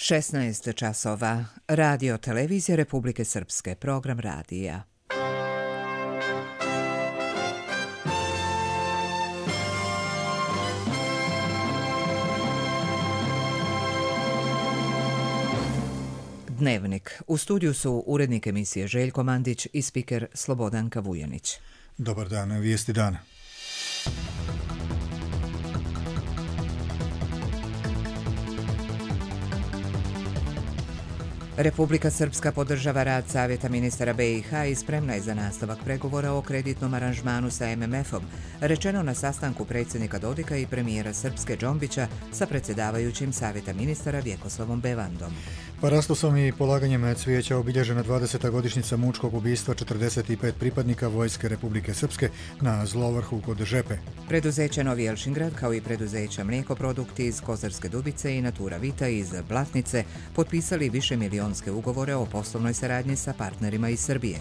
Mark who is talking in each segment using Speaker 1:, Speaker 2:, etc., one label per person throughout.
Speaker 1: 16 časova. Radio Televizija Republike Srpske. Program radija. Dnevnik. U studiju su urednik emisije Željko Mandić i spiker Slobodanka Vujanić.
Speaker 2: Dobar dan, vijesti dana.
Speaker 1: Republika Srpska podržava rad Savjeta ministara BiH i spremna je za nastavak pregovora o kreditnom aranžmanu sa MMF-om, rečeno na sastanku predsjednika Dodika i premijera Srpske Džombića sa predsjedavajućim Savjeta ministara Vjekoslavom Bevandom.
Speaker 2: Parastosom i polaganjem cvijeća obilježena 20. godišnjica mučkog ubistva 45 pripadnika Vojske Republike Srpske na Zlovrhu kod Žepe.
Speaker 1: Preduzeće Novi Elšingrad, kao i preduzeća Mlijekoprodukti iz Kozarske Dubice i Natura Vita iz Blatnice, potpisali višemilijonske ugovore o poslovnoj saradnji sa partnerima iz Srbije.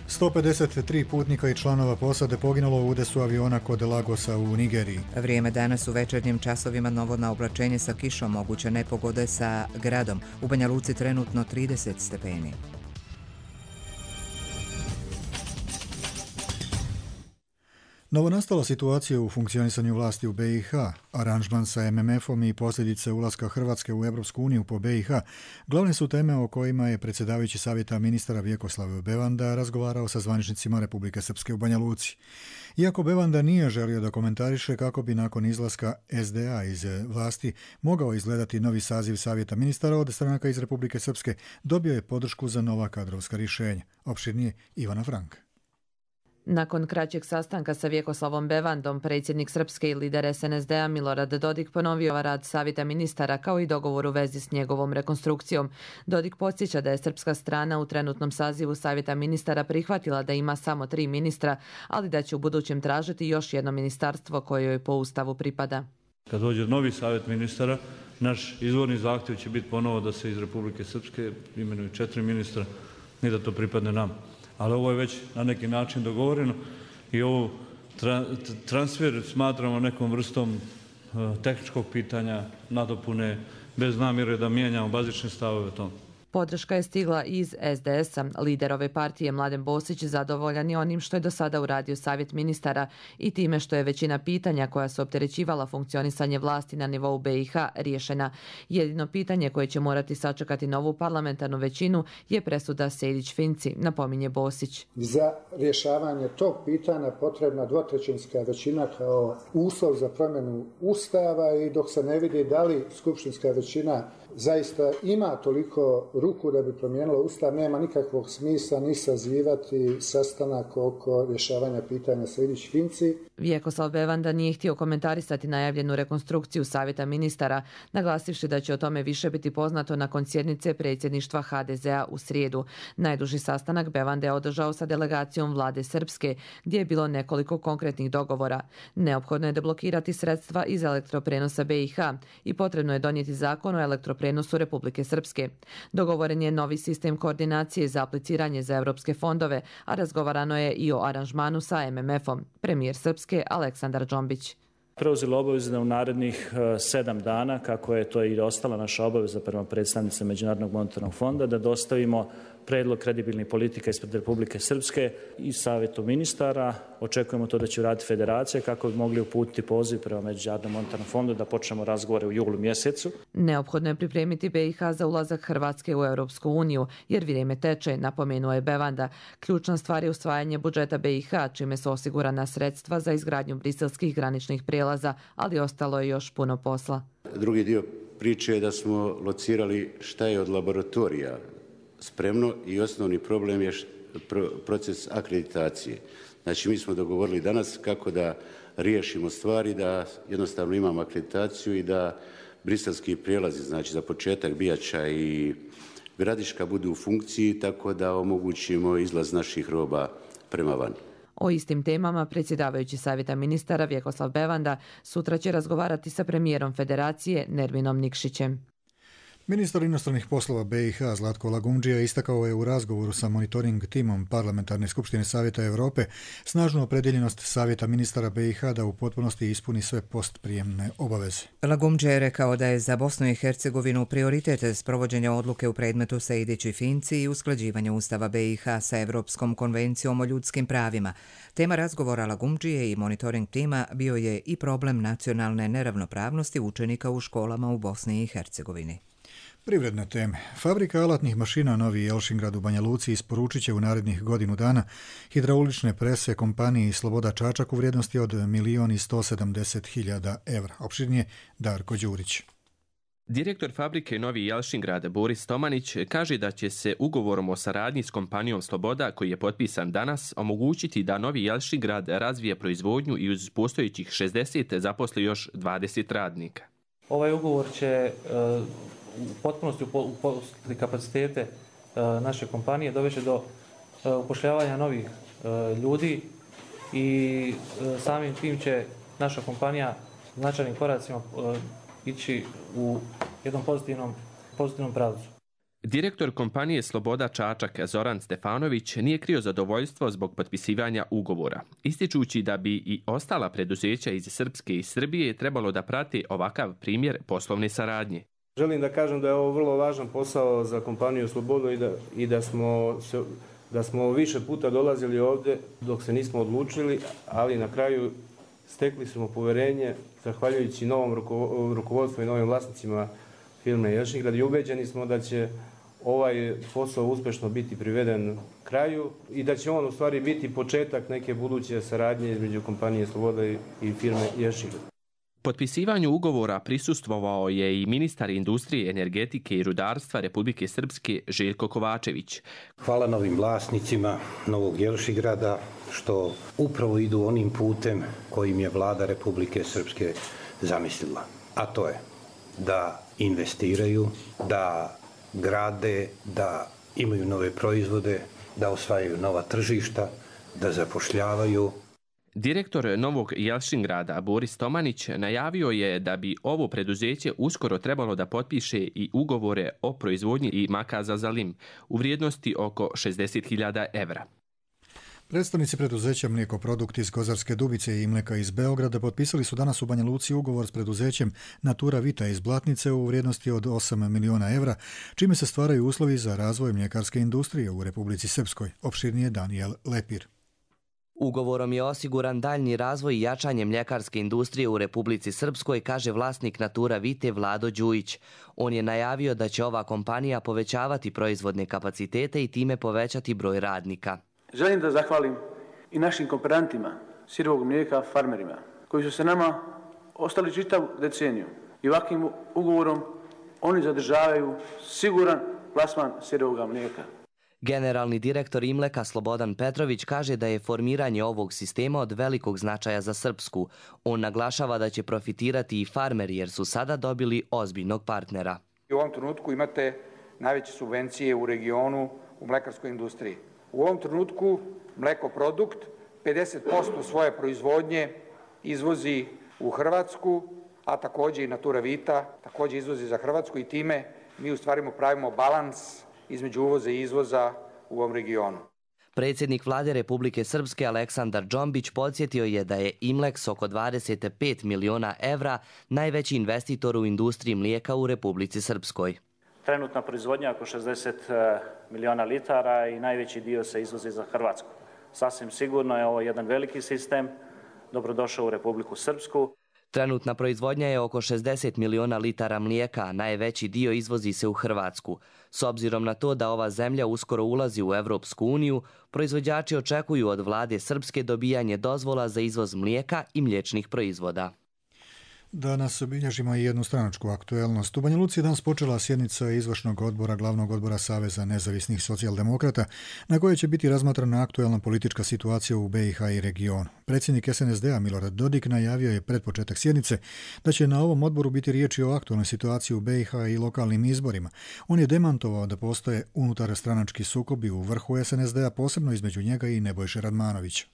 Speaker 2: 153 putnika i članova posade poginulo u udesu aviona kod Lagosa u Nigeriji.
Speaker 1: Vrijeme danas u večernjim časovima novo naoblačenje sa kišom, moguće nepogode sa gradom. U Banja Luci trenutno 30 stepeni.
Speaker 2: Novonastala situacija u funkcionisanju vlasti u BiH, aranžman sa MMF-om i posljedice ulaska Hrvatske u Europsku uniju po BiH, glavne su teme o kojima je predsjedavajući Savjeta ministara Vjekoslav Bevanda razgovarao sa zvaničnicima Republike Srpske u Banja Luci. Iako Bevanda nije želio da komentariše kako bi nakon izlaska SDA iz vlasti mogao izgledati novi saziv Savjeta ministara od stranaka iz Republike Srpske, dobio je podršku za nova kadrovska rješenja. Opširnije Ivana Franka.
Speaker 3: Nakon kraćeg sastanka sa Vjekoslavom Bevandom, predsjednik Srpske i lider SNSD-a Milorad Dodik ponovio rad Savjeta ministara kao i dogovor u vezi s njegovom rekonstrukcijom. Dodik podsjeća da je srpska strana u trenutnom sazivu Savjeta ministara prihvatila da ima samo 3 ministra, ali da će u budućem tražiti još jedno ministarstvo koje joj po Ustavu pripada.
Speaker 4: Kad dođe novi Savjet ministara, naš izvorni zahtjev će biti ponovo da se iz Republike Srpske imenuju 4 ministra i da to pripadne nam. Ali ovo je već na neki način dogovoreno i ovo transfer smatramo nekom vrstom tehničkog pitanja, nadopune, bez namjere da mijenjamo bazične stavove o tom.
Speaker 3: Podrška je stigla iz SDS-a. Lider ove partije Mladen Bosić zadovoljan je onim što je do sada uradio Savjet ministara i time što je većina pitanja koja su opterećivala funkcionisanje vlasti na nivou BiH riješena. Jedino pitanje koje će morati sačekati novu parlamentarnu većinu je presuda Sejdić-Finci, napominje Bosić.
Speaker 5: Za rješavanje tog pitanja potrebna dvotrećinska većina kao uslov za promjenu Ustava i dok se ne vidi da li skupštinska većina zaista ima toliko ruku da bi promijenila Ustav, nema nikakvog smisla ni sazivati sastanak oko rješavanja pitanja Sejdić-Finci.
Speaker 3: Vjekoslav Bevanda nije htio komentarisati najavljenu rekonstrukciju Savjeta ministara, naglasivši da će o tome više biti poznato nakon sjednice predsjedništva HDZ-a u srijedu. Najduži sastanak Bevanda je održao sa delegacijom vlade Srpske, gdje je bilo nekoliko konkretnih dogovora. Neophodno je deblokirati sredstva iz elektroprenosa BiH i potrebno je donijeti zakon o elektroprenosu Republike Srpske. Dogovoren je novi sistem koordinacije za apliciranje za europske fondove, a razgovarano je i o aranžmanu sa MMF-om. Premijer Srpske Aleksandar Džombić.
Speaker 6: Preuzeli obavezu da u narednih 7 dana, kako je to i ostala naša obaveza prema predstavnicima Međunarodnog monetarnog fonda, da dostavimo predlog kredibilnih politika ispred Republike Srpske i Savjetu ministara. Očekujemo to da će uraditi federacija kako bi mogli uputiti poziv prema Međunarodnom monetarnom fondu da počnemo razgovore u julu mjesecu.
Speaker 3: Neophodno je pripremiti BiH za ulazak Hrvatske u Europsku uniju, jer vrijeme teče, napomenuo je Bevanda. Ključna stvar je usvajanje budžeta BiH, čime su osigurana sredstva za izgradnju briselskih graničnih prijelaza, ali ostalo je još puno posla.
Speaker 7: Drugi dio priče je da smo locirali šta je od laboratorija spremno i osnovni problem je proces akreditacije. Znači, mi smo dogovorili danas kako da riješimo stvari, da jednostavno imamo akreditaciju i da briselski prijelazi, znači za početak Bijača i Gradiška, budu u funkciji tako da omogućimo izlaz naših roba prema van.
Speaker 3: O istim temama predsjedavajući Savjeta ministara Vjekoslav Bevanda sutra će razgovarati sa premijerom Federacije Nerminom Nikšićem.
Speaker 2: Ministar inostranih poslova BiH Zlatko Lagumdžija istakao je u razgovoru sa monitoring timom Parlamentarne skupštine Savjeta Europe snažnu opredjeljenost Savjeta ministara BiH da u potpunosti ispuni sve postprijemne obaveze.
Speaker 1: Lagumdžija je rekao da je za Bosnu i Hercegovinu prioritet sprovođenja odluke u predmetu Sejdić i Finci i usklađivanje Ustava BiH sa Europskom konvencijom o ljudskim pravima. Tema razgovora Lagumdžije i monitoring tima bio je i problem nacionalne neravnopravnosti učenika u školama u Bosni i Hercegovini.
Speaker 2: Privredne teme. Fabrika alatnih mašina Novi Jelšingrad u Banja Luci isporučit će u narednih godinu dana hidraulične prese kompaniji Sloboda Čačak u vrijednosti od 1.170.000 evra. Opširnije Darko Đurić.
Speaker 8: Direktor fabrike Novi Jelšingrad Boris Tomanić kaže da će se ugovorom o saradnji s kompanijom Sloboda, koji je potpisan danas, omogućiti da Novi Jelšingrad razvije proizvodnju i uz postojećih 60 zaposli još 20 radnika.
Speaker 9: Ovaj ugovor će u potpunosti uposliti kapacitete naše kompanije, dovesti do upošljavanja novih ljudi i samim tim će naša kompanija značajnim koracima ići u jednom pozitivnom pravcu.
Speaker 8: Direktor kompanije Sloboda Čačak Zoran Stefanović nije krio zadovoljstvo zbog potpisivanja ugovora, ističući da bi i ostala preduzeća iz Srpske i Srbije trebalo da prate ovakav primjer poslovne saradnje.
Speaker 10: Želim da kažem da je ovo vrlo važan posao za kompaniju Slobodu i da smo više puta dolazili ovdje dok se nismo odlučili, ali na kraju stekli smo poverenje zahvaljujući novom rukovodstvu i novim vlasnicima firme Jelšingrad i ubeđeni smo da će ovaj posao uspješno biti priveden kraju i da će on u stvari biti početak neke buduće saradnje između kompanije Sloboda i firme Jelšingrad.
Speaker 8: Potpisivanju ugovora prisustvovao je i ministar industrije, energetike i rudarstva Republike Srpske Željko Kovačević.
Speaker 11: Hvala novim vlasnicima Novog Jelšingrada što upravo idu onim putem kojim je vlada Republike Srpske zamislila. A to je da investiraju, da grade, da imaju nove proizvode, da osvajaju nova tržišta, da zapošljavaju.
Speaker 8: Direktor Novog Jelšingrada Boris Tomanić najavio je da bi ovo preduzeće uskoro trebalo da potpiše i ugovore o proizvodnji i makaza za lim u vrijednosti oko 60.000 evra.
Speaker 2: Predstavnici preduzeća Mlijekoprodukt iz Kozarske Dubice i Mleka iz Beograda potpisali su danas u Banja Luci ugovor s preduzećem Natura Vita iz Blatnice u vrijednosti od 8 miliona evra, čime se stvaraju uslovi za razvoj mljekarske industrije u Republici Srpskoj. Opširnije Danijel Lepir.
Speaker 12: Ugovorom je osiguran daljnji razvoj i jačanje mljekarske industrije u Republici Srpskoj, kaže vlasnik Natura Vite Vlado Đujić. On je najavio da će ova kompanija povećavati proizvodne kapacitete i time povećati broj radnika.
Speaker 13: Želim da zahvalim i našim kooperantima sirovog mlijeka, farmerima, koji su se nama ostali čitavu deceniju. I ovakvim ugovorom oni zadržavaju siguran plasman sirovog mlijeka.
Speaker 12: Generalni direktor Imleka Slobodan Petrović kaže da je formiranje ovog sistema od velikog značaja za Srpsku. On naglašava da će profitirati i farmeri jer su sada dobili ozbiljnog partnera.
Speaker 14: U ovom trenutku imate najveće subvencije u regionu u mlekarskoj industriji. U ovom trenutku Mlekoprodukt 50% svoje proizvodnje izvozi u Hrvatsku, a također i Natura Vita također izvozi za Hrvatsku i time mi u stvari pravimo balans između uvoza i izvoza u ovom regionu.
Speaker 12: Predsjednik vlade Republike Srpske Aleksandar Džombić podsjetio je da je Imlek s oko 25 miliona evra najveći investitor u industriji mlijeka u Republici Srpskoj.
Speaker 6: Trenutna proizvodnja oko 60 miliona litara i najveći dio se izvozi za Hrvatsku. Sasvim sigurno je ovo jedan veliki sistem, dobrodošao u Republiku Srpsku.
Speaker 12: Trenutna proizvodnja je oko 60 miliona litara mlijeka, a najveći dio izvozi se u Hrvatsku. S obzirom na to da ova zemlja uskoro ulazi u Evropsku uniju, proizvođači očekuju od vlade Srpske dobijanje dozvola za izvoz mlijeka i mliječnih proizvoda.
Speaker 2: Danas obilježimo i jednu stranačku aktuelnost. U Banja Luci je danas počela sjednica izvršnog odbora glavnog odbora Saveza nezavisnih socijaldemokrata na kojoj će biti razmatrana aktuelna politička situacija u BiH i regionu. Predsjednik SNSD-a Milorad Dodik najavio je pred početak sjednice da će na ovom odboru biti riječi o aktualnoj situaciji u BiH i lokalnim izborima. On je demantovao da postoje unutar stranački sukobi u vrhu SNSD-a, posebno između njega i Nebojše Radmanovića.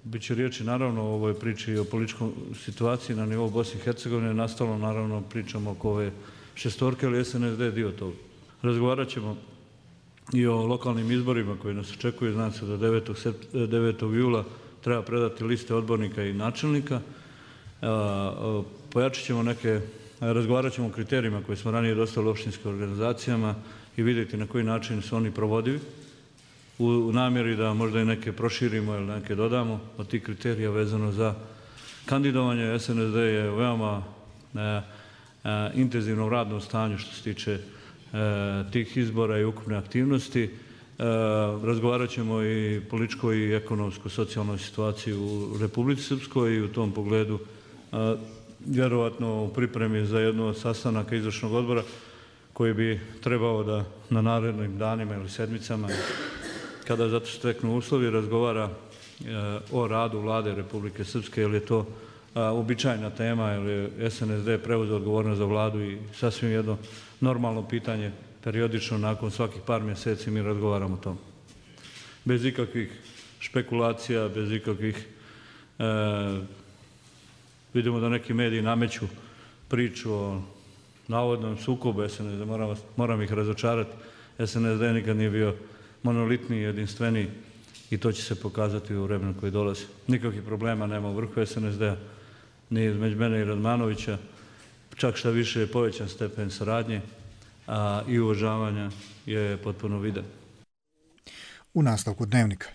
Speaker 4: Biće riječi naravno o ovoj priči o političkoj situaciji na nivou Bosne i Hercegovine. Nastavno naravno pričamo oko ove šestorke, ali SNSD je dio toga. Razgovarat ćemo i o lokalnim izborima koji nas očekuju. Znam se da 9. jula treba predati liste odbornika i načelnika. Pojačat ćemo razgovarat ćemo o kriterijima koje smo ranije dostavili opštinskim organizacijama i vidjeti na koji način su oni provodivi u namjeri da možda i neke proširimo ili neke dodamo od tih kriterija vezano za kandidovanje. SNSD je veoma intenzivnom radnom stanju što se tiče tih izbora i ukupne aktivnosti. Razgovarat ćemo i političkoj i ekonomsko-socijalnoj situaciji u Republici Srpskoj i u tom pogledu vjerovatno u pripremi za jedno od sastanaka izvršnog odbora koji bi trebao da na narednim danima ili sedmicama, kada zato steknu uslovi, razgovara o radu Vlade Republike Srpske, jer je to uobičajena tema, jer je SNSD preuzeo odgovornost za Vladu i sasvim jedno normalno pitanje, periodično nakon svakih par mjeseci mi razgovaramo o tom. Bez ikakvih špekulacija, bez ikakvih... Vidimo da neki mediji nameću priču o navodnom sukobu SNSD, moram ih razočarati. SNSD nikad nije bio monolitni, jedinstveniji i to će se pokazati u vremenu koji dolazi. Nikakvih problema nema u vrhu SNSD-a, ni između mene i Radmanovića, čak šta više je povećan stepen saradnje, a i uvažavanja je potpuno viden.
Speaker 2: U nastavku Dnevnika.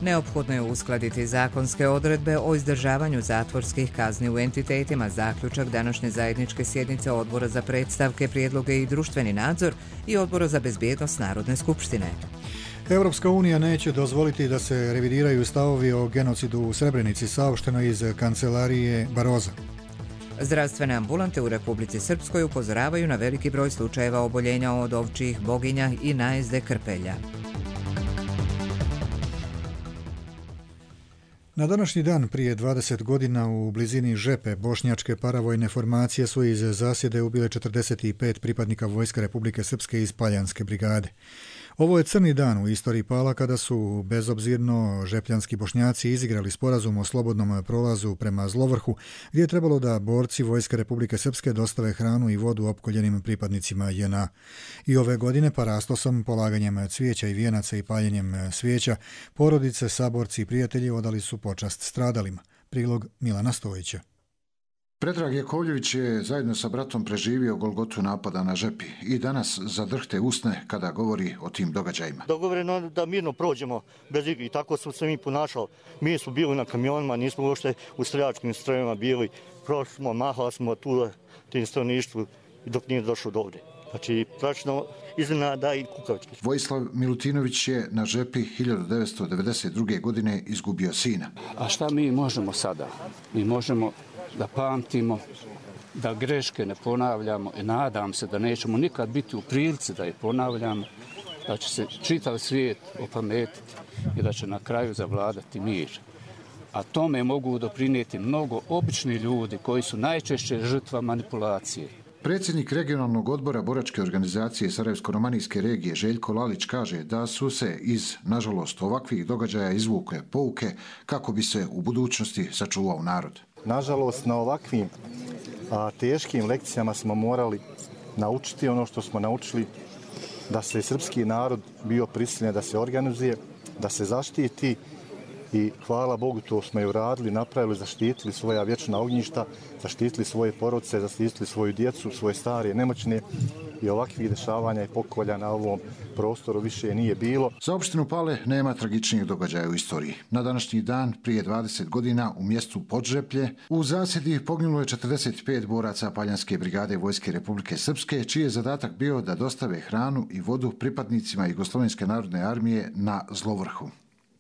Speaker 1: Neophodno je uskladiti zakonske odredbe o izdržavanju zatvorskih kazni u entitetima, zaključak današnje zajedničke sjednice Odbora za predstavke, prijedloge i društveni nadzor i Odbora za bezbjednost Narodne skupštine.
Speaker 2: Europska unija neće dozvoliti da se revidiraju stavovi o genocidu u Srebrenici, saopšteno iz kancelarije Baroza.
Speaker 1: Zdravstvene ambulante u Republici Srpskoj upozoravaju na veliki broj slučajeva oboljenja od ovčjih boginja i najezde krpelja.
Speaker 2: Na današnji dan prije 20 godina u blizini Žepe bošnjačke paravojne formacije su iz zasjede ubile 45 pripadnika Vojske Republike Srpske iz Paljanske brigade. Ovo je crni dan u istoriji Pala kada su bezobzirno žepljanski Bošnjaci izigrali sporazum o slobodnom prolazu prema Zlovrhu, gdje je trebalo da borci Vojske Republike Srpske dostave hranu i vodu opkoljenim pripadnicima JNA. I ove godine parastosom, polaganjem cvijeća i vijenaca i paljenjem svijeća, porodice, saborci i prijatelji odali su počast stradalima. Prilog Milana Stojića.
Speaker 15: Predrag Jakovljević je zajedno sa bratom preživio golgotu napada na Žepi i danas zadrhte usne kada govori o tim događajima.
Speaker 16: Dogovoreno da mirno prođemo bez igre i tako smo se mi ponašali. Mi smo bili na kamionima, nismo uopšte u streljačkim strojevima bili. Prošli smo, mahali smo tu tim stanovništvu dok nije došlo do ovdje. Znači, pračno iznenada i kukavički.
Speaker 15: Vojislav Milutinović je na Žepi 1992. godine izgubio sina.
Speaker 17: A šta mi možemo sada? Mi možemo da pamtimo, da greške ne ponavljamo i nadam se da nećemo nikad biti u prilici da je ponavljamo, da će se čitav svijet opametiti i da će na kraju zavladati mir. A tome mogu doprinijeti mnogo obični ljudi koji su najčešće žrtva manipulacije.
Speaker 15: Predsjednik regionalnog odbora boračke organizacije Sarajevsko-romanijske regije Željko Lalić kaže da su se iz, nažalost, ovakvih događaja izvukle pouke kako bi se u budućnosti sačuvao narod.
Speaker 18: Nažalost, na ovakvim teškim lekcijama smo morali naučiti ono što smo naučili, da se srpski narod bio prisiljen da se organizuje, da se zaštiti i hvala Bogu to smo i uradili, napravili, zaštitili svoja vječna ognjišta, zaštitili svoje porodice, zaštitili svoju djecu, svoje stare, nemoćne i ovakvih dešavanja i pokolja na ovom prostoru više nije bilo.
Speaker 15: Za opštinu Pale nema tragičnijih događaja u istoriji. Na današnji dan, prije 20 godina, u mjestu Podžeplje, u zasjedi poginulo je 45 boraca Paljanske brigade Vojske Republike Srpske, čiji je zadatak bio da dostave hranu i vodu pripadnicima Jugoslovenske narodne armije na Zlovrhu.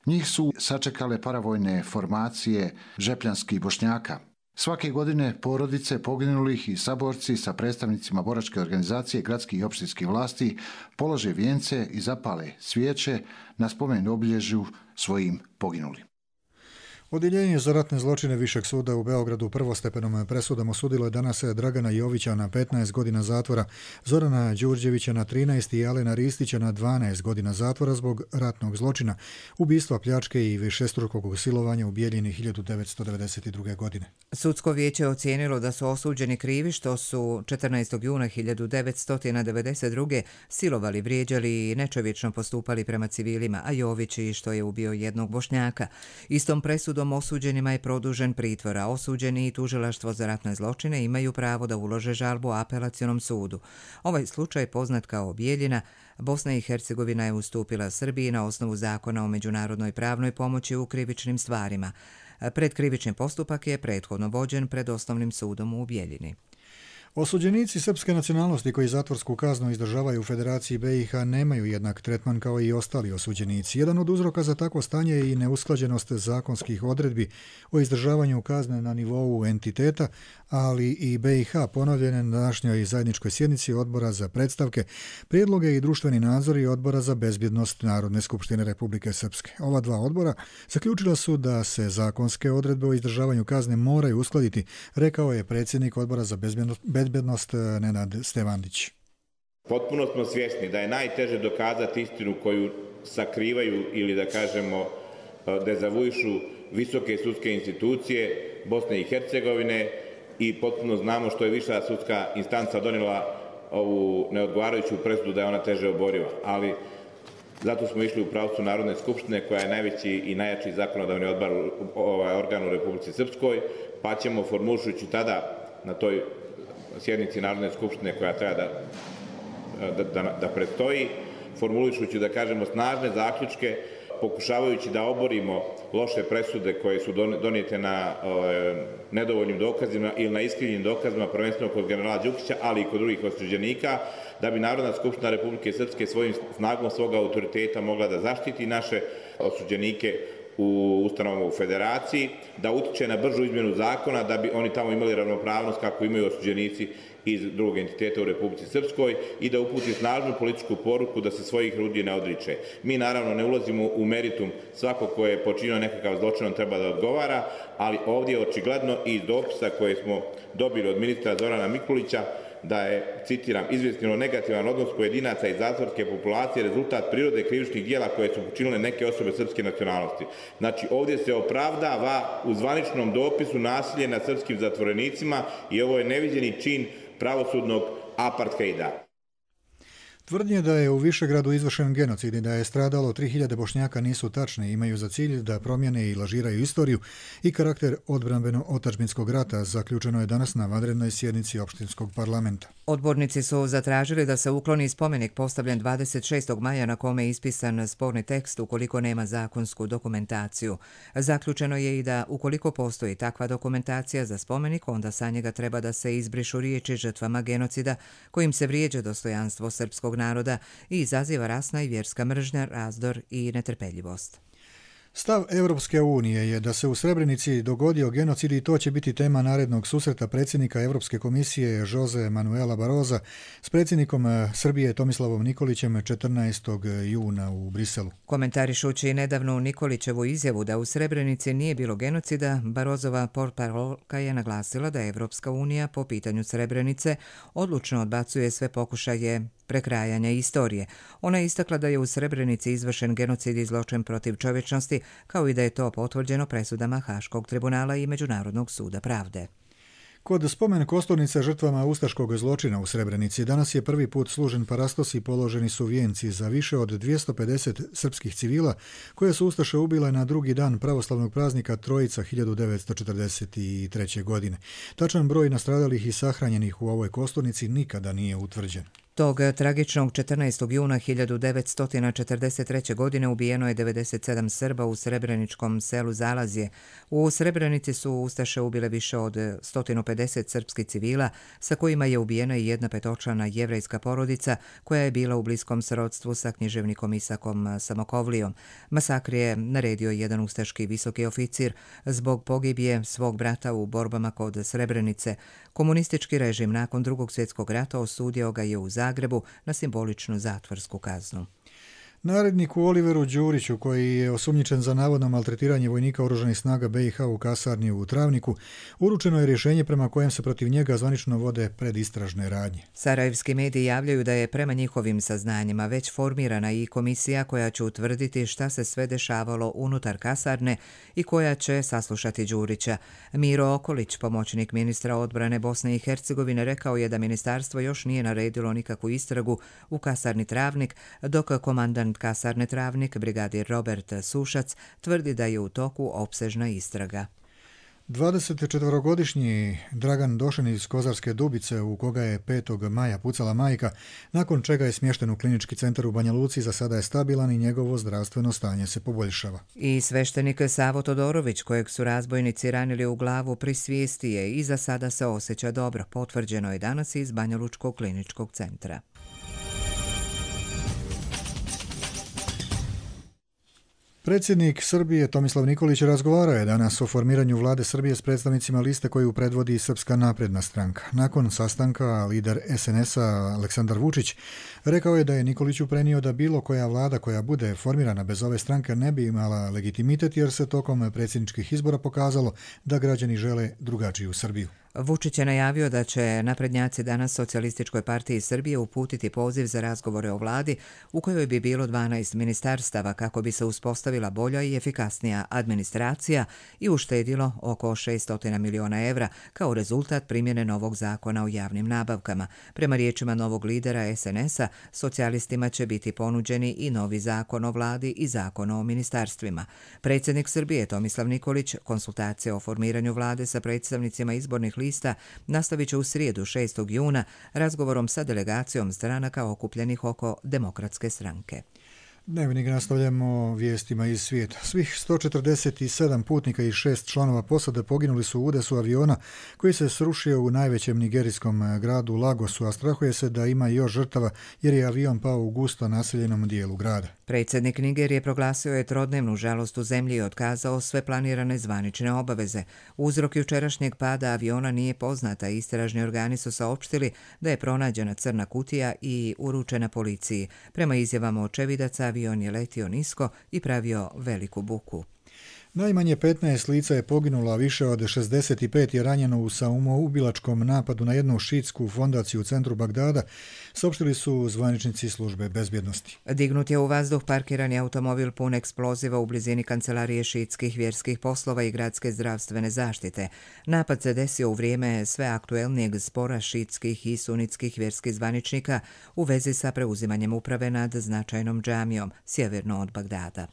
Speaker 15: Njih su sačekale paravojne formacije žepljanskih Bošnjaka. Svake godine porodice poginulih i saborci sa predstavnicima boračke organizacije gradskih i opštinskih vlasti polože vijence i zapale svijeće na spomen obilježju svojim poginulim.
Speaker 2: Odjeljenje za ratne zločine Višeg suda u Beogradu prvostepenom presudom osudilo je danas Dragana Jovića na 15 godina zatvora, Zorana Đurđevića na 13 i Alena Ristića na 12 godina zatvora zbog ratnog zločina, ubistva, pljačke i višestrukog silovanja u Bijeljini 1992. godine.
Speaker 1: Sudsko vijeće je ocijenilo da su osuđeni krivi što su 14. juna 1992. silovali, vrijeđali i nečovječno postupali prema civilima, a Jović i što je ubio jednog Bošnjaka. Istom presudom osuđenima je produžen pritvor, a osuđeni i tužilaštvo za ratne zločine imaju pravo da ulože žalbu apelacionom sudu. Ovaj slučaj, poznat kao Bijeljina, Bosna i Hercegovina je ustupila Srbiji na osnovu zakona o međunarodnoj pravnoj pomoći u krivičnim stvarima. Predkrivični postupak je prethodno vođen pred osnovnim sudom u Bijeljini.
Speaker 2: Osuđenici srpske nacionalnosti koji zatvorsku kaznu izdržavaju u Federaciji BiH nemaju jednak tretman kao i ostali osuđenici. Jedan od uzroka za takvo stanje je i neusklađenost zakonskih odredbi o izdržavanju kazne na nivou entiteta, ali i BiH ponovljene na današnjoj zajedničkoj sjednici Odbora za predstavke, prijedloge i društveni nadzor i Odbora za bezbjednost Narodne skupštine Republike Srpske. Ova dva odbora zaključila su da se zakonske odredbe o izdržavanju kazne moraju uskladiti, rekao je predsjednik Odbora za bezbjednost Nenad Stevandić.
Speaker 19: Potpuno smo svjesni da je najteže dokazati istinu koju sakrivaju ili da kažemo dezavuišu visoke sudske institucije Bosne i Hercegovine i potpuno znamo što je viša sudska instanca donijela ovu neodgovarajuću presudu da je ona teže oboriva. Ali zato smo išli u pravcu Narodne skupštine koja je najveći i najjači zakonodavni organ u Republici Srpskoj, pa ćemo formulišući tada na toj sjednici Narodne skupštine koja treba da predstoji, formulišući da kažemo snažne zaključke, pokušavajući da oborimo loše presude koje su donijete na nedovoljnim dokazima ili na iskrivljenim dokazima, prvenstveno kod generala Đukića, ali i kod drugih osuđenika, da bi Narodna skupština Republike Srpske svojim snagom svog autoriteta mogla da zaštiti naše osuđenike u ustanovama u Federaciji, da utiče na bržu izmjenu zakona, da bi oni tamo imali ravnopravnost kako imaju osuđenici iz drugog entiteta u Republici Srpskoj i da uputi snažnu političku poruku da se svojih ljudi ne odriče. Mi naravno ne ulazimo u meritum, svako ko je počinio nekakav zločin on treba da odgovara, ali ovdje je očigledno i iz dopisa koje smo dobili od ministra Zorana Mikulića da je, citiram, izvjesno negativan odnos pojedinaca i zatvorske populacije rezultat prirode krivičnih dijela koje su počinile neke osobe srpske nacionalnosti. Znači, ovdje se opravdava u zvaničnom dopisu nasilje nad srpskim zatvorenicima i ovo je neviđeni čin pravosudnog apartheida.
Speaker 2: Tvrdnje da je u Višegradu izvršen genocid i da je stradalo 3000 Bošnjaka nisu tačne, imaju za cilj da promijene i lažiraju istoriju i karakter odbrambeno-otadžbinskog rata, zaključeno je danas na vanrednoj sjednici opštinskog parlamenta.
Speaker 1: Odbornici su zatražili da se ukloni spomenik postavljen 26. maja na kome je ispisan sporni tekst ukoliko nema zakonsku dokumentaciju. Zaključeno je i da ukoliko postoji takva dokumentacija za spomenik, onda sa njega treba da se izbrišu riječi žrtvama genocida kojim se vrijeđa dostojanstvo srpskog naroda i izaziva rasna i vjerska mržnja, razdor i netrpeljivost.
Speaker 2: Stav Europske unije je da se u Srebrenici dogodio genocid i to će biti tema narednog susreta predsjednika Europske komisije Jose Manuela Barrosa s predsjednikom Srbije Tomislavom Nikolićem 14. juna u Briselu.
Speaker 1: Komentarišući nedavnu Nikolićevu izjavu da u Srebrenici nije bilo genocida, Barrosova portparolka je naglasila da Europska unija po pitanju Srebrenice odlučno odbacuje sve pokušaje prekrajanja istorije. Ona je istakla da je u Srebrenici izvršen genocid i zločin protiv čovječnosti, kao i da je to potvrđeno presudama Haškog tribunala i Međunarodnog suda pravde.
Speaker 2: Kod spomen kosturnica žrtvama ustaškog zločina u Srebrenici danas je prvi put služen parastos i položeni su vijenci za više od 250 srpskih civila koje su ustaše ubile na drugi dan pravoslavnog praznika Trojica 1943. godine. Tačan broj nastradalih i sahranjenih u ovoj kosturnici nikada nije utvrđen.
Speaker 1: Tog tragičnog 14. juna 1943. godine ubijeno je 97 Srba u srebreničkom selu Zalazje. U Srebrenici su ustaše ubile više od 150 srpskih civila, sa kojima je ubijena i jedna petočlana jevrejska porodica koja je bila u bliskom srodstvu sa književnikom Isakom Samokovlijom. Masakr je naredio jedan ustaški visoki oficir zbog pogibije svog brata u borbama kod Srebrenice. Komunistički režim nakon Drugog svjetskog rata osudio ga je u Zagrebu na simboličnu zatvorsku kaznu.
Speaker 2: Naredniku Oliveru Đuriću, koji je osumnjičen za navodno maltretiranje vojnika oružanih snaga BiH u kasarni u Travniku, uručeno je rješenje prema kojem se protiv njega zvanično vode predistražne radnje.
Speaker 1: Sarajevski mediji javljaju da je prema njihovim saznanjima već formirana i komisija koja će utvrditi šta se sve dešavalo unutar kasarne i koja će saslušati Đurića. Miro Okolić, pomoćnik ministra odbrane Bosne i Hercegovine, rekao je da ministarstvo još nije naredilo nikakvu istragu u kasarni Travnik, dok komandant kasarne Travnik, brigadir Robert Sušac, tvrdi da je u toku opsežna istraga.
Speaker 2: 24-godišnji Dragan Došen iz Kozarske Dubice, u koga je 5. maja pucala majka, nakon čega je smješten u klinički centar u Banja Luci, za sada je stabilan i njegovo zdravstveno stanje se poboljšava.
Speaker 1: I sveštenik Savo Todorović, kojeg su razbojnici ranili u glavu, pri svijesti je i za sada se osjeća dobro, potvrđeno je danas iz Banja Lučkog kliničkog centra.
Speaker 2: Predsjednik Srbije Tomislav Nikolić razgovarao je danas o formiranju vlade Srbije s predstavnicima liste koju predvodi Srpska napredna stranka. Nakon sastanka lider SNS-a Aleksandar Vučić rekao je da je Nikoliću prenio da bilo koja vlada koja bude formirana bez ove stranke ne bi imala legitimitet, jer se tokom predsjedničkih izbora pokazalo da građani žele drugačiju Srbiju.
Speaker 1: Vučić je najavio da će naprednjaci danas Socijalističkoj partiji Srbije uputiti poziv za razgovore o vladi u kojoj bi bilo 12 ministarstava kako bi se uspostavila bolja i efikasnija administracija i uštedilo oko 600 miliona evra kao rezultat primjene novog zakona o javnim nabavkama. Prema riječima novog lidera SNS-a, socijalistima će biti ponuđeni i novi zakon o vladi i zakon o ministarstvima. Predsjednik Srbije Tomislav Nikolić konsultacije o formiranju vlade sa predstavnicima izbornih lista nastavit će u srijedu 6. juna razgovorom sa delegacijom stranaka okupljenih oko Demokratske stranke.
Speaker 2: Dnevnik nastavljamo vijestima iz svijeta. Svih 147 putnika i 6 članova posade poginuli su u udesu aviona koji se srušio u najvećem nigerijskom gradu Lagosu, a strahuje se da ima još žrtava jer je avion pao u gusto naseljenom dijelu grada.
Speaker 1: Predsjednik Nigerije proglasio je trodnevnu žalost u zemlji i otkazao sve planirane zvanične obaveze. Uzrok jučerašnjeg pada aviona nije poznata. Istražni organi su saopštili da je pronađena crna kutija i uručena policiji. Prema izjavama očevidaca, avion je letio nisko i pravio veliku buku.
Speaker 2: Najmanje 15 lica je poginulo, a više od 65 je ranjeno u samoubilačkom napadu na jednu šiitsku fondaciju u centru Bagdada, saopštili su zvaničnici službe bezbjednosti.
Speaker 1: Dignut je u vazduh parkirani automobil pun eksploziva u blizini kancelarije šiitskih vjerskih poslova i gradske zdravstvene zaštite. Napad se desio u vrijeme sve aktuelnijeg spora šiitskih i sunitskih vjerskih zvaničnika u vezi sa preuzimanjem uprave nad značajnom džamijom sjeverno od Bagdada.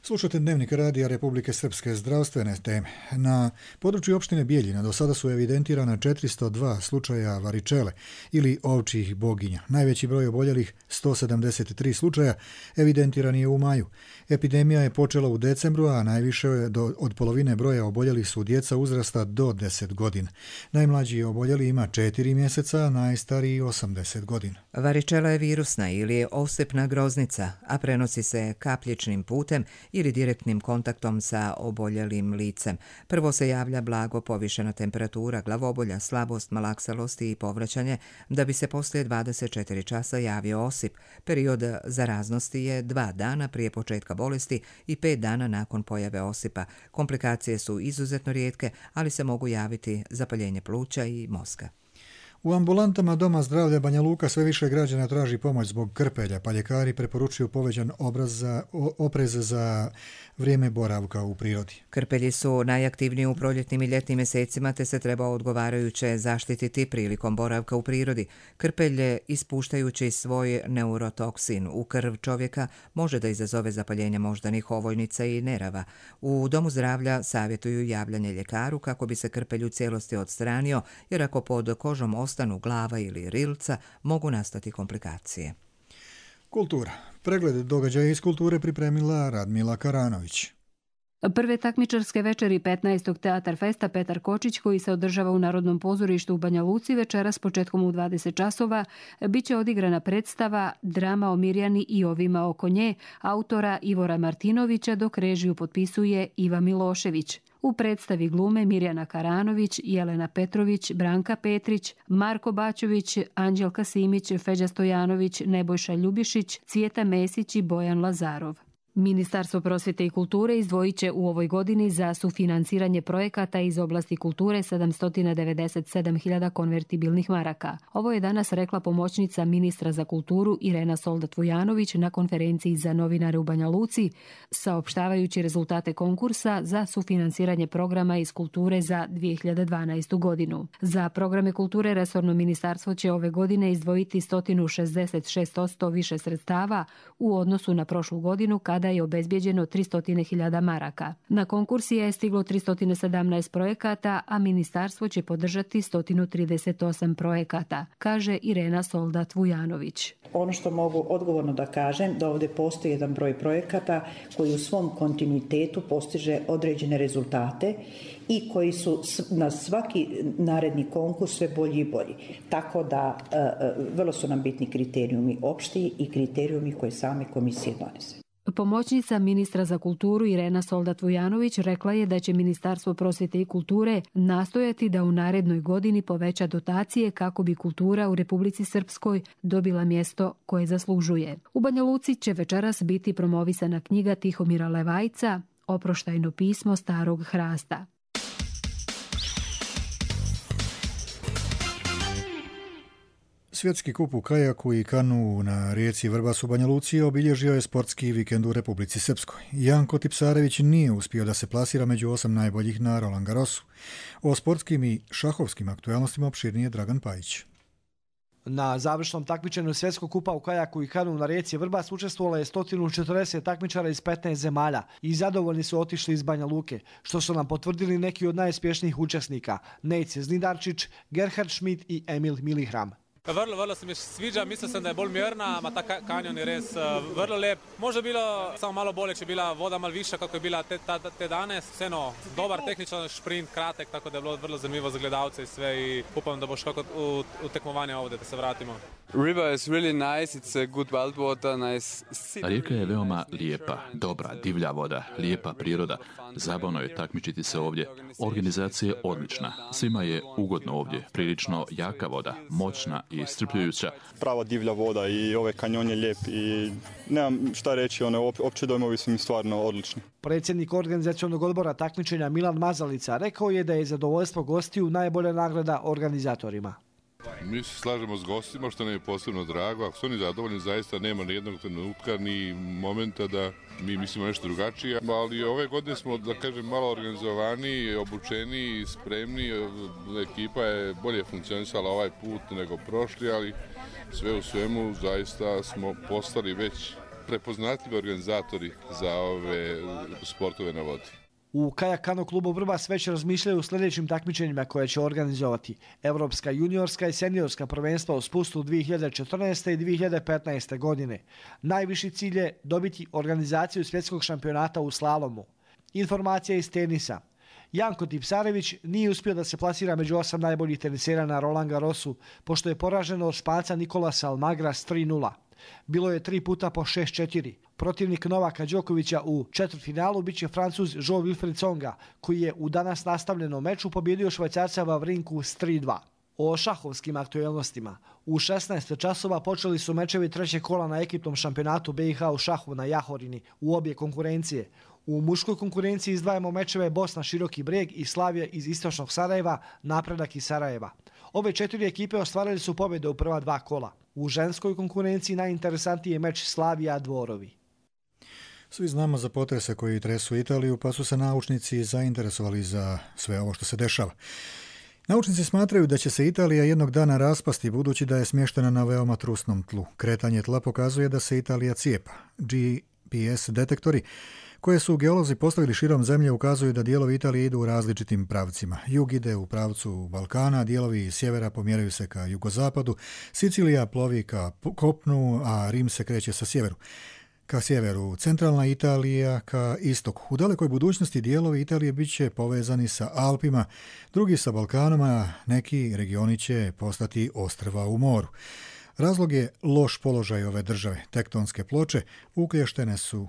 Speaker 2: Slušate Dnevnik radija Republike Srpske, zdravstvene teme. Na području opštine Bijeljina do sada su evidentirana 402 slučaja varičele ili ovčjih boginja. Najveći broj oboljelih, 173 slučaja, evidentiran je u maju. Epidemija je počela u decembru, a najviše od polovine broja oboljelih su djeca uzrasta do 10 godina. Najmlađi oboljeli ima 4 mjeseca, a najstariji 80 godina.
Speaker 1: Varičela je virusna ili osipna groznica, a prenosi se kapljičnim putem ili direktnim kontaktom sa oboljelim licem. Prvo se javlja blago povišena temperatura, glavobolja, slabost, malaksalost i povraćanje, da bi se poslije 24 časa javio osip. Period zaraznosti je 2 dana prije početka bolesti i 5 dana nakon pojave osipa. Komplikacije su izuzetno rijetke, ali se mogu javiti zapaljenje pluća i mozga.
Speaker 2: U ambulantama Doma zdravlja Banja Luka sve više građana traži pomoć zbog krpelja, pa ljekari preporučuju povećan oprez za vrijeme boravka u prirodi.
Speaker 1: Krpelji su najaktivniji u proljetnim i ljetnim mjesecima, te se treba odgovarajuće zaštititi prilikom boravka u prirodi. Krpelje, ispuštajući svoj neurotoksin u krv čovjeka, može da izazove zapaljenje moždanih ovojnica i nerava. U Domu zdravlja savjetuju javljanje ljekaru kako bi se krpelj u cijelosti odstranio, jer ako pod kožom ostanu glava ili rilca, mogu nastati komplikacije.
Speaker 2: Kultura. Pregled događaja iz kulture pripremila Radmila Karanović.
Speaker 20: Prve takmičarske večeri 15. Teatar Festa Petar Kočić, koji se održava u Narodnom pozorištu u Banja Luci, večeras početkom u 20 časova bit će odigrana predstava Drama o Mirjani i ovima oko nje autora Ivora Martinovića, dok režiju potpisuje Iva Milošević. U predstavi glume Mirjana Karanović, Jelena Petrović, Branka Petrić, Marko Bačović, Anđelka Simić, Feđa Stojanović, Nebojša Ljubišić, Cvijeta Mesić i Bojan Lazarov. Ministarstvo prosvjete i kulture izdvojit će u ovoj godini za sufinanciranje projekata iz oblasti kulture 797.000 konvertibilnih maraka. Ovo je danas rekla pomoćnica ministra za kulturu Irena Soldat-Vujanović na konferenciji za novinare u Banja Luci, saopštavajući rezultate konkursa za sufinanciranje programa iz kulture za 2012. godinu. Za programe kulture resorno ministarstvo će ove godine izdvojiti 166% više sredstava u odnosu na prošlu godinu kada je obezbijeđeno 300.000 maraka. Na konkursi je stiglo 317 projekata, a ministarstvo će podržati 138 projekata, kaže Irena Soldat-Vujanović.
Speaker 21: Ono što mogu odgovorno da kažem, da ovdje postoji jedan broj projekata koji u svom kontinuitetu postiže određene rezultate i koji su na svaki naredni konkurs sve bolji i bolji. Tako da vrlo su nam bitni kriterijumi opšti i kriterijumi koje same komisije donese.
Speaker 20: Pomoćnica ministra za kulturu Irena Soldat-Vujanović rekla je da će Ministarstvo prosvjete i kulture nastojati da u narednoj godini poveća dotacije kako bi kultura u Republici Srpskoj dobila mjesto koje zaslužuje. U Banja Luci će večeras biti promovisana knjiga Tihomira Levajca Oproštajno pismo starog hrasta.
Speaker 2: Svjetski kup u kajaku i kanu na rijeci Vrbas u Banja Luci obilježio je sportski vikend u Republici Srpskoj. Janko Tipsarević nije uspio da se plasira među 8 najboljih na Roland Garrosu. O sportskim i šahovskim aktualnostima opširnije Dragan Pajić.
Speaker 22: Na završnom takmičenju Svjetskog kupa u kajaku i kanu na rijeci Vrbas učestvovalo je 140 takmičara iz 15 zemalja i zadovoljni su otišli iz Banja Luke, što su nam potvrdili neki od najuspješnijih učesnika, Nejce Znidarčić, Gerhard Schmidt i Emil Milihram.
Speaker 23: Vrlo se mi sviđa, mislil sem, da je bolj mirna, ima ta kanjon je res vrlo lep. Možda bilo samo malo bolje, če bila voda malo višja, kako je bila te danes. Vseeno, dobar tehničan šprint, kratek, tako da je bilo vrlo zanimivo za gledalce i sve i upam, da bo šlo kot v tekmovanje ovdje, da se vratimo.
Speaker 24: River is really nice, it's a good wild water, nice.
Speaker 25: Rijeka je veoma lijepa, dobra, divlja voda, lijepa priroda. Zabavno je takmičiti se ovdje. Organizacija je odlična. Svima je ugodno ovdje. Prilično jaka voda, moćna i strpljujuća.
Speaker 26: Prava divlja voda i ovaj kanjon je lijep i nemam šta reći, opće dojmovi su mi stvarno odlični.
Speaker 22: Predsjednik organizacionog odbora takmičenja Milan Mazalica rekao je da je zadovoljstvo gostiju najbolja nagrada organizatorima.
Speaker 27: Mi se slažemo s gostima, što nam je posebno drago. Ako su oni zadovoljni, zaista nema ni jednog trenutka ni momenta da mi mislimo nešto drugačije. Ali ove godine smo, da kažem, malo organizovani, obučeni, spremni. Ekipa je bolje funkcionisala ovaj put nego prošli, ali sve u svemu zaista smo postali već prepoznatljivi organizatori za ove sportove na vodi.
Speaker 22: U kajak kano klubu Vrbas već razmišljaju o sljedećim takmičenjima koje će organizovati Evropska juniorska i seniorska prvenstva u spustu 2014. i 2015. godine. Najviši cilj je dobiti organizaciju svjetskog šampionata u slalomu. Informacija iz tenisa. Janko Tipsarević nije uspio da se plasira među 8 najboljih tenisera na Roland Garrosu, pošto je poražen od Španca Nikolasa Almagra s 3-0. Bilo je 3 puta po 6-4. Protivnik Novaka Đokovića u četvrtfinalu biće Francuz Jean-Wilfried Tsonga, koji je u danas nastavljenom meču pobjedio Švajcarca Vavrinku s 3-2. O šahovskim aktualnostima. U 16 časova počeli su mečevi trećeg kola na ekipnom šampionatu BiH u šahu na Jahorini u obje konkurencije. U muškoj konkurenciji izdvajamo mečeve Bosna Široki Breg i Slavija iz istočnog Sarajeva, Napredak iz Sarajeva. Ove 4 ekipe ostvarili su pobjede u prva 2 kola. U ženskoj konkurenciji najinteresantniji je meč Slavija Dvorovi.
Speaker 2: Svi znamo za potrese koji tresu Italiju, pa su se naučnici zainteresovali za sve ovo što se dešava. Naučnici smatraju da će se Italija jednog dana raspasti budući da je smještena na veoma trusnom tlu. Kretanje tla pokazuje da se Italija cijepa. GPS detektori koje su geolozi postavili širom zemlje ukazuju da dijelovi Italije idu u različitim pravcima. Jug ide u pravcu Balkana, dijelovi sjevera pomjeraju se ka jugozapadu, Sicilija plovi ka kopnu, a Rim se kreće ka sjeveru, centralna Italija ka istoku. U dalekoj budućnosti dijelovi Italije bit će povezani sa Alpima, drugi sa Balkanom, a neki regioni će postati ostrva u moru. Razlog je loš položaj ove države. Tektonske ploče uklještene su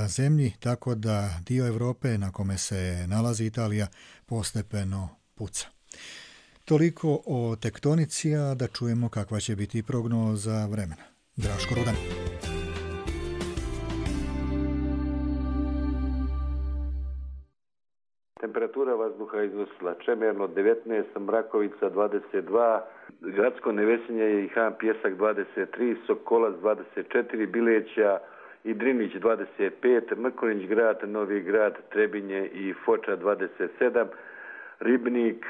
Speaker 2: zemlji, tako da dio Europe na kome se nalazi Italija postepeno puca. Toliko o tektonici, a da čujemo kakva će biti prognoza vremena. Draško Rudan.
Speaker 3: Temperatura vazduha iznosila Čemerno 19, Mrakovica 22, Gradsko Nevesinje i Han Pjesak 23, Sokolac 24, Bileća i Drinić 25, Mrkonjić grad, Novi grad, Trebinje i Foča 27, Ribnik,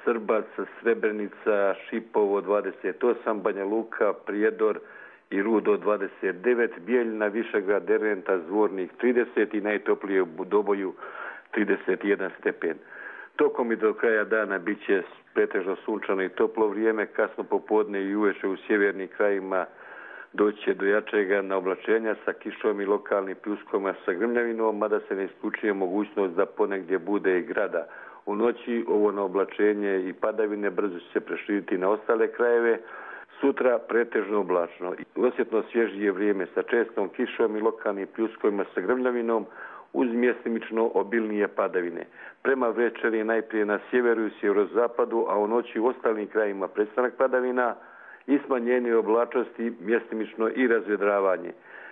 Speaker 3: Srbac, Srebrenica, Šipovo 28, Banja Luka, Prijedor i Rudo 29, Bijeljina, Višegrad, Derventa, Zvornik 30 i najtoplije u Doboju 31 stepen. Tokom i do kraja dana bit će pretežno sunčano i toplo vrijeme, kasno popodne i uveče u sjevernim krajima doći će do jačega naoblačenja sa kišom i lokalnim pljuskovima sa grmljavinom, mada se ne isključuje mogućnost da ponegdje bude i grada. U noći ovo naoblačenje i padavine brzo će se preširiti na ostale krajeve. Sutra pretežno oblačno. Osjetno svježije vrijeme sa čestom kišom i lokalnim pljuskovima sa grmljavinom uz mjestimično obilnije padavine. Prema večeri najprije na sjeveru i sjeverozapadu, a u noći u ostalim krajima prestanak padavina i smanjenje oblačnosti, mjestimično i razvedravanje.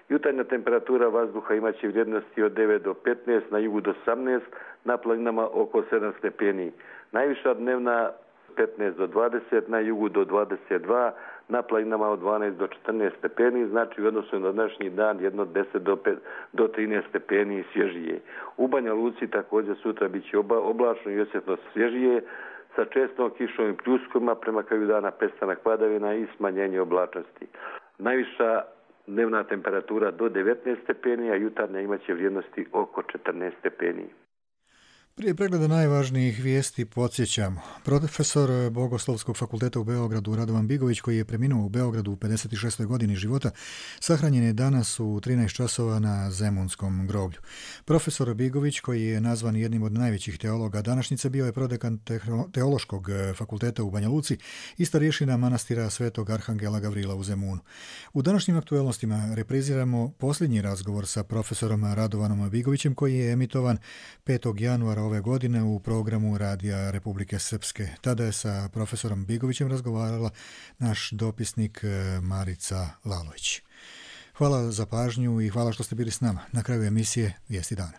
Speaker 3: Jutarnja temperatura vazduha imaće vrijednosti od 9 do 15, na jugu do 18, na planinama oko 7 stepeni. Najviša dnevna 15 do 20, na jugu do 22, na planinama od 12 do 14 stepeni, znači u odnosu na današnji dan jedno 10 do 13 stepeni svježije. U Banja Luci također sutra bit će oblačno i osjetno svježije, sa čestom kišom i pljuskovima, prema kraju dana prestanak padavina i smanjenje oblačnosti. Najviša dnevna temperatura do 19 stepeni, a jutarnja imaće vrijednosti oko 14 stepeni.
Speaker 2: Prije pregleda najvažnijih vijesti podsjećamo. Profesor Bogoslovskog fakulteta u Beogradu Radovan Bigović, koji je preminuo u Beogradu u 56. godini života, sahranjen je danas u 13 časova na Zemunskom groblju. Profesor Bigović, koji je nazvan jednim od najvećih teologa današnjice, bio je prodekan Teološkog fakulteta u Banja Luci i starješina manastira Svetog Arhangela Gavrila u Zemunu. U današnjim aktuelnostima repriziramo posljednji razgovor sa profesorom Radovanom Bigovićem, koji je emitovan 5. januara ove godine u programu Radija Republike Srpske. Tada je sa profesorom Bigovićem razgovarala naš dopisnik Marica Lalović. Hvala za pažnju i hvala što ste bili s nama. Na kraju emisije Vijesti dana.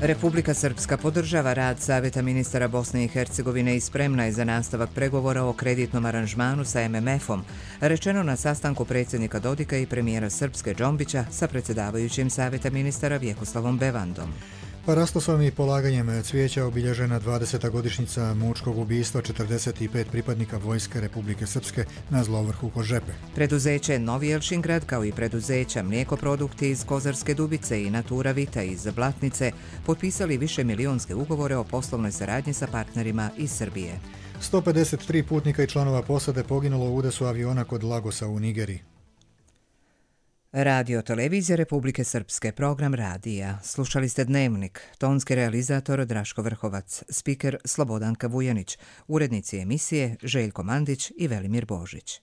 Speaker 1: Republika Srpska podržava rad Savjeta ministara Bosne i Hercegovine i spremna je za nastavak pregovora o kreditnom aranžmanu sa MMF-om, rečeno na sastanku predsjednika Dodika i premijera Srpske Džombića sa predsjedavajućim Savjeta ministara Vjekoslavom Bevandom.
Speaker 2: Parastosom i polaganjem cvijeća obilježena 20. godišnjica mučkog ubistva 45 pripadnika Vojske Republike Srpske na Zlovrhu kod Žepe.
Speaker 1: Preduzeće Novi Elšingrad, kao i preduzeća Mlijekoprodukti iz Kozarske Dubice i Natura Vita iz Blatnice, potpisali višemilijonske ugovore o poslovnoj saradnji sa partnerima iz Srbije.
Speaker 2: 153 putnika i članova posade poginulo u udesu aviona kod Lagosa u Nigeriji.
Speaker 1: Radio Televizija Republike Srpske, program radija. Slušali ste Dnevnik, tonski realizator Draško Vrhovac, spiker Slobodanka Vujanić, urednici emisije Željko Mandić i Velimir Božić.